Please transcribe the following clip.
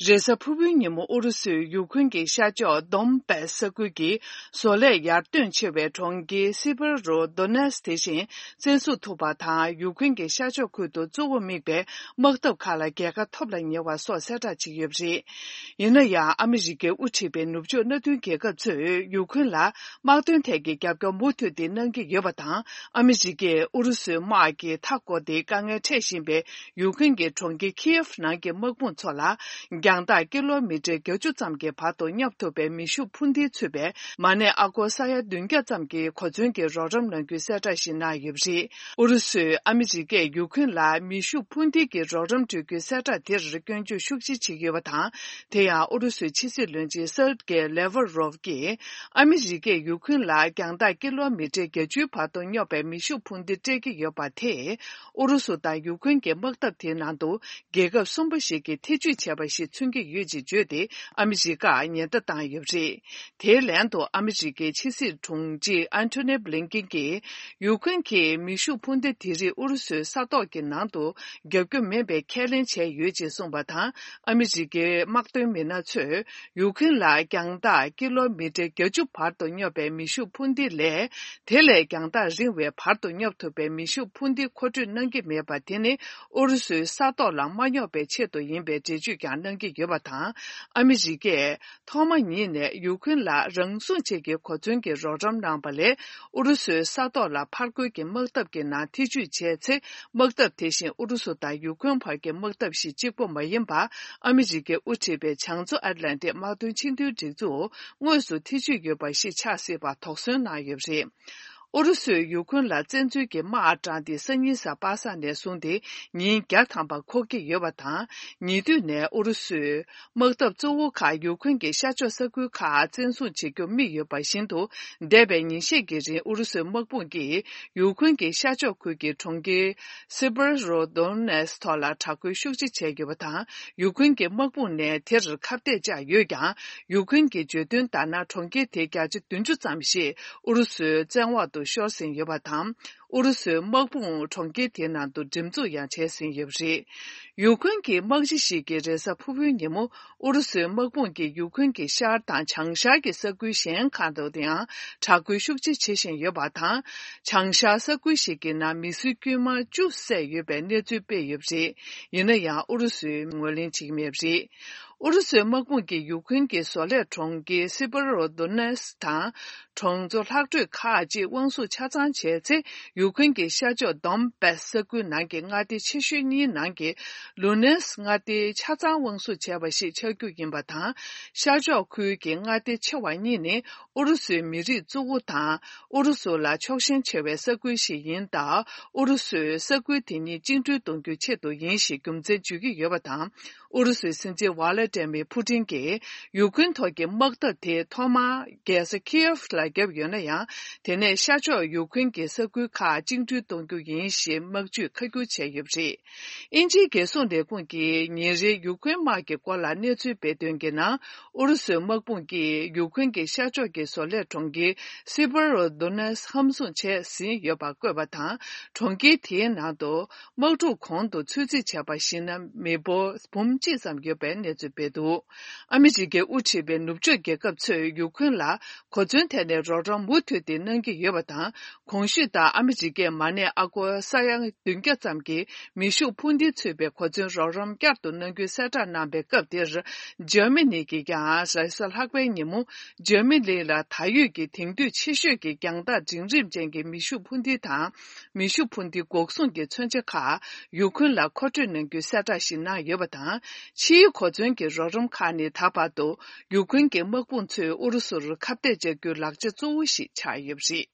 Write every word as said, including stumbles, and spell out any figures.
རེས་གཟའ་ཕུར་བུའི་ཉིན་མོ་ཨུ་རུ་སུས་ཡུ་ཁུན་གྱི་ཤར་ཕྱོགས་དོམ་པེ་ས་ཁུལ་གྱི་བཟོ་ལས་ཡར་ཐོན་ཆེ་བའི་གྲོང་ཁྱེར་སི་བྷ་རོ་དོ་ནེ་སི་དེ་བཞིན་བཙན་བཟུང་ཐུབ་པ་དང་། ཡུ་ཁུན་གྱི་ཤར་ཕྱོགས་ཁུལ་དུ་གཙོ་བོ་དམིགས་པའི་དམག་འཐབ་ཁག་ལ་རྒྱལ་ཁ་ཐོབ་ལ་ཉེ་བ་སོགས་གསལ་བསྒྲགས་བྱས་ཡོད་པ་རེད། ཡིན་ན་ཡང་ཨ་མི་རི་ཀས་དབུ་ཁྲིད་པའི་ནུབ་ཕྱོགས་མནའ་མཐུན་རྒྱལ་ཁབ་ཚོས་ཡུ་ཁུན་ལ་དམག་དོན་ཐད་ཀྱི་རྒྱབ་སྐྱོར་མུ་མཐུད་དེ་གནང་གི་ཡོད་པ་དང་། ཨ་མི་རི་ཀས་ཨུ་རུ་སུའི་དམག་གི་མཐའ་བསྐོར་ཏེ་དཀའ་ངལ་འཕྲད་བཞིན་པའི་ཡུ་ཁུན་གྱི་གྲོང་ཁྱེར་ཁི་ཡེབ་ནང་གི་དམག་དཔུང་ཚོ་ལ་རྒྱང་ཐག་ཀི་ལོ་མི་ཊར་བརྒྱད་ཅུ་ཙམ་གྱི་བར་དུ་སྙོབ་ཐུབ་པའི་མེ་ཤུགས་འཕུར་མདེལ་ཚུད་པའི་མ་ནས་ཨ་སྒོར་ས་ཡ་བདུན་བརྒྱ་ཙམ་གྱི་གོ་མཚོན་གྱི་རོགས་རམ་གནང་རྒྱུའི་གསལ་བསྒྲགས་ཤིག་གནང་ཡོད་པ་རེད། ཨུ་རུ་སུས་ཨ་མི་རི་ཀས་ཡུ་ཁུན་ལ་མེ་ཤུགས་འཕུར་མདེལ་གྱི་རོགས་རམ་སྤྲོད་རྒྱུའི་གསལ་བསྒྲགས་དེར་སྐྱོན་བརྗོད་ཤུགས་ཆེ་བྱེད་ཀྱི་ཡོད་པ་དང་། དེ་ཡང་ཨུ་རུ་སུའི་ཕྱི་སྲིད་བློན་ཆེན་སེར་གེ་ལེ་ཝ་རོབ་ཀྱིས། ཨ་མི་རི་ཀས་ཡུ་ཁུན་ལ་རྒྱང་ཐག་ཀི་ལོ་མི་ཊར་བརྒྱད་ཅུའི་བར་དུ་སྙོབ་པའི་མེ་ཤུགས་འཕུར་མདེལ་སྤྲད་ཀྱི་ཡོད་པ་དེས། ཨུ་རུ་སུ་དང་ཡུ་ཁུན་གྱི་དམག་འཐབ་དེའི་ནང་དུ་རྒྱལ་ཁབ་གསུམ་པ་ཞིག་གིས་ཐེ་ཇུས་བྱས་པ་ཞིག་མཚོན་གྱི་ཡོད་ཅེས་བརྗོད་དེ། ཨ་མི་རི་ཀར་ཉེན་བརྡ་བཏང་ཡོད་པ་རེད། དེའི་ལན་དུ་ཨ་མི་རི་ཀའི་ཕྱི་སྲིད་དྲུང་ཆེ་ཨན་ཐོ་ནི་བྷི་ལིན་ཀིན་གྱིས། ཡུ་ཁུན་གྱིས་མེ་ཤུགས་འཕུར་མདེལ་དེ་རིགས་ཨུ་རུ་སུའི་ས་ཐོག་གི་ནང་དུ་རྒྱག་རྒྱུ་མིན་པའི་ཁས་ལེན་བྱས་ཡོད་ཅེས་གསུངས་པ་དང་། ཨ་མི་རི་ཀའི་དམག་དོན་མི་སྣ་ཚོས། ཡུ་ཁུན་ལ་རྒྱང་ཐག་ཀི་ལོ་མི་ཊར་བརྒྱད་ཅུ་བར་དུ་སྙོབ་པའི་མེ་ཤུགས་འཕུར་མདེལ་ལས། དེ་ལས་རྒྱང་ཐག་རིང་བའི་བར་དུ་སྙོབ་ཐུབ་པའི་མེ་ཤུགས་འཕུར་མདེལ་མཁོ་སྤྲོད་གནང་གི་མེད་པ་དེ་ནི། ཨུ་རུ་སུའི་ས་ཐོག་ལ་མ་སྙོབ་པའི་ཆེད་དུ་ཡིན་པའི་འགྲེལ་བརྗོད་ཀྱང་གནང་གི་ཡོད་པ་དང་། ཨ་མི་རི་ཀས་ཐོག་མ་ཉིད་ནས་ཡུ་ཁུན་ལ་རང་སྲུང་ཆེད་ཀྱི་གོ་མཚོན་གྱི་རོགས་རམ་གནང་པ་ལས། ཨུ་རུ་སུའི་ས་ཐོག་ལ་ཕར་རྒོལ་གྱི་དམག་འཐབ་ཀྱི་ནང་ཐེ་ཇུས་བྱས་ཚེ། དམག་འཐབ་དེ་བཞིན་ཨུ་རུ་སུ་དང་ཡུ་ཁུན་བར་གྱི་དམག་འཐབ་ཞིག་གཅིག་པོ་མ་ཡིན་པར། ཨ་མི་རི་ཀས་དབུ་ཁྲིད་པའི་བྱང་མཚོ་ཨེཊ་ལན་ཏིག་དམག་དོན་ཆིངས་དོན་སྒྲིག་འཛུགས་དངོས་སུ་ཐེ་ཇུས་ཡོད་པ་ཞིག་ཆགས་སྲིད་པར་དོགས་ཟོན་གནང་ཡོད་པ་རེད། ཨུ་རུ་སུས་ཡུ་ཁུན་ལ་བཙན་འཛུལ་གྱི་དམག་བཏང་སྟེ། སང་ཉིན་གཟའ་པ་སངས་ནས་བཟུང་སྟེ་ཉིན་བརྒྱ་ཐམ་པ་འཁོར་གྱི་ཡོད་པ་དང་། ཉེ་དུས་ནས་ཨུ་རུ་སུས། དམག་འཐབ་གཙོ་བོ་ཁག་ཡུ་ཁུན་གྱི་ཤར་ཕྱོགས་ས་ཁུལ་ཁག་བཙན་བཟུང་བྱེད་རྒྱུ་དམིགས་ཡོད་པ་བཞིན་དུ། འདས་པའི་ཉིན་ཤས་ཀྱི་རིང་ཨུ་རུ་སུའི་དམག་དཔུང་གིས་ཡུ་ཁུན་གྱི་ཤར་ཕྱོགས་ཁུལ་གྱི་གྲོང་ཁྱེར་སི་པར་རོ་དོ་ནེ་སི་ཐོག་ལ་དྲག་རྒོལ་ཤུགས་ཆེ་བྱས་ཡོད་པ་དང་། ཡུ་ཁུན་གྱི་དམག་དཔུང་ནས་དེར་ཁ་གཏད་བཅག་ཡོད་ཀྱང་། ཡུ་ཁུན་གྱི་བརྗོད་དོན་ལྟར་ན། གྲོང་ཁྱེར་དེའི་བརྒྱ་ཆ་བདུན་ཅུ་ཙམ་ཞིག་ཨུ་རུ་སུའི་བཙན་འོག་ཏུ་ཤོར་ཟིན་ཡོད་པ་དང་། ཨུ་རུ་སུའི་དམག་དཔུང་གྲོང་ཁྱེར་དེའི་ནང་དུ་འགྲེམས་འཛུགས་ཡང་བྱས་ཟིན་ཡོད་པ་རེད། ཡུ་ཁུན་གྱི་དམག་སྤྱི་ཞིག་གིས་རེས་གཟའ་ཕུར་བུའི་ཉིན་མོ། ཨུ་རུ་སུའི་དམག་དཔུང་གིས་ཡུ་ཁུན་གྱི་ཤར་དང་བྱང་ཤར་གྱི་ས་ཁུལ་གཞན་ཁག་ཏུ་ཡང་དྲག་རྒོལ་ཤུགས་ཆེ་བྱེད་བཞིན་ཡོད་པ་དང་། བྱང་ཤར་ས་ཁུལ་ཞིག་གི་ནང་མི་སེར་དཀྱུས་མ་བཅུ་བསད་ཡོད་པའི་གནས་ཚུལ་སྤེལ་ཡོད་པ་རེད། ཡིན་ན་ཡང་ཨུ་རུ་སུས་ངོས་ལེན་བྱེད་ཀྱི་མེད་པ་རེད། ཨུ་རུ་སུའི་དམག་དཔུང་གིས་ཡུ་ཁུན་གྱི་བཟོ་ལས་གྲོང་ཁྱེར་སི་པ་རོ་དོ་ནེ་སི་དང་། གྲོང་ཚོ་ལྷག་འཕྲོས་ཁག་ཅིག་དབང་བཟུང་ཆ་ཚང་བྱས་ཚེ། ཡུ་ཁུན་གྱི་ཤར་ཕྱོགས་དོམ་པེ་ས་ཁུལ་ནང་གི་མངའ་སྡེ་ཆེ་ཤོས་གཉིས་ནང་གི་ལུ་ནེ་སི་མངའ་སྡེ་ཆ་ཚང་དབང་བཟུང་བྱས་པ་ཞིག་ཆགས་རྒྱུ་ཡིན་པ་དང་། ཤར་ཕྱོགས་ཁུལ་གྱི་མངའ་སྡེ་ཆེ་བ་གཉིས་ནི་ཨུ་རུ་སུའི་མི་རིགས་གཙོ་བོ་དང་། ཨུ་རུ་སུ་ལ་ཕྱོགས་ཞེན་ཆེ་བའི་ས་ཁུལ་ཞིག་ཡིན་སྟབས། ཨུ་རུ་སུས་ས་ཁུལ་དེ་གཉིས་བཅིངས་འགྲོལ་གཏོང་རྒྱུའི་ཆེད་དུ་ཡིན་ཞེས་རྒྱུ་མཚན་བརྗོད་ཀྱི་ཡོད་པ་དང་། ཨུ་རུ་སུའི་སྲིད་འཛིན་ཝ་ལ་ཏྲེ་མི་ཕུ་ཏིན་གྱིས་ཡུ་ཁུན་ཐོག་གི་དམག་འཐབ་དེ་ཐོག་མར་རྒྱལ་ས་ཁི་ཡེབ་ལ་བརྒྱབ་ཡོད་ན་ཡང་། དེ་ནས་ཤར་ཕྱོགས་ཡུ་ཁུན་གྱི་ས་ཁུལ་ཁག་བཅིངས་འགྲོལ་གཏོང་རྒྱུ་ཡིན་ཞེས་དམག་ཇུས་ཁ་སྒྱུར་བྱས་ཡོད་པ་རེད། དབྱིན་ཇིའི་རྒྱལ་སྲུང་ལས་ཁུངས་ཀྱིས་ཉིན་རེའི་ཡུ་ཁུན་དམག་གི་སྐོར་ལ་གནས་ཚུལ་སྤེལ་དོན་གྱི་ནང་། ཨུ་རུ་སུའི་དམག་དཔུང་གིས་ཡུ་ཁུན་གྱི་ཤར་ཕྱོགས་ཀྱི་བཟོ་ལས་གྲོང་ཁྱེར་སི་པ་རོ་དོ་ནེ་སི་ཧམ་བཟུང་བྱས་ཟིན་ཡོད་པ་བཀོད་པ་དང་། གྲོང་ཁྱེར་དེའི་ནང་དུ། དམག་འཁྲུག་གོང་དུ་ཚོད་རྩིས་བྱས་པར་གཞིགས་ན། མི་འབོར་འབུམ་གཅིག་ཙམ་ཡོད་པའི་གནས་ཚུལ་སྤེལ་འདུག་ཨ་མི་རི་ཀས་དབུ་ཁྲིད་པའི་ནུབ་ཕྱོགས་རྒྱལ་ཁབ་ཚོས་ཡུ་ཁུན་ལ་གོ་མཚོན་ཐད་ནས་རོགས་རམ་མུ་མཐུད་དེ་གནང་གི་ཡོད་པ་དང་། གོང་ཞུས་ལྟར་ཨ་མི་རི་ཀས་མ་ནས་ཨ་སྒོར་ས་ཡ་བདུན་བརྒྱ་ཙམ་གྱི་མེ་ཤུགས་འཕུར་མདེལ་ཚུད་པའི་གོ་མཚོན་རོགས་རམ་བསྐྱར་དུ་གནང་རྒྱུའི་གསལ་བསྒྲགས་གནང་པའི་སྐབས་དེར། འཇར་མ་ནི་གིས་ཀྱང་རེས་གཟའ་ལྷག་པའི་ཉིན་མོ། འཇར་མ་ནི་ལ་ད་ཡོད་ཀྱི་དེང་དུས་ཆེ་ཤོས་ཀྱི་རྒྱང་ཐག་འབྲིང་རིམ་ཅན་གྱི་མེ་ཤུགས་འཕུར་མདེལ་དང་། མེ་ཤུགས་འཕུར་མདེལ་འགོག་སྲུང་གི་མཚོན་ཆ་ཁག་ཡུ་ཁུན་ལ་མཁོ་སྤྲོད་གནང་རྒྱུའི་གསལ་བསྒྲགས་ཤིག་གནང་ཡོད་པ་དང་། ཕྱིའི་གོ་མཚོན་གྱི་རོགས་རམ་ཁག་ནི་ད་བར་དུ་ཡུ་ཁུན་གྱི་དམག་དཔུང་ཚོས་ཨུ་རུ་སུར་ཁ་གཏད་བཅག་རྒྱུའི་ལག་ཆ་གཙོ་བོ་ཞིག་ཆགས་ཡོད་པ་རེད།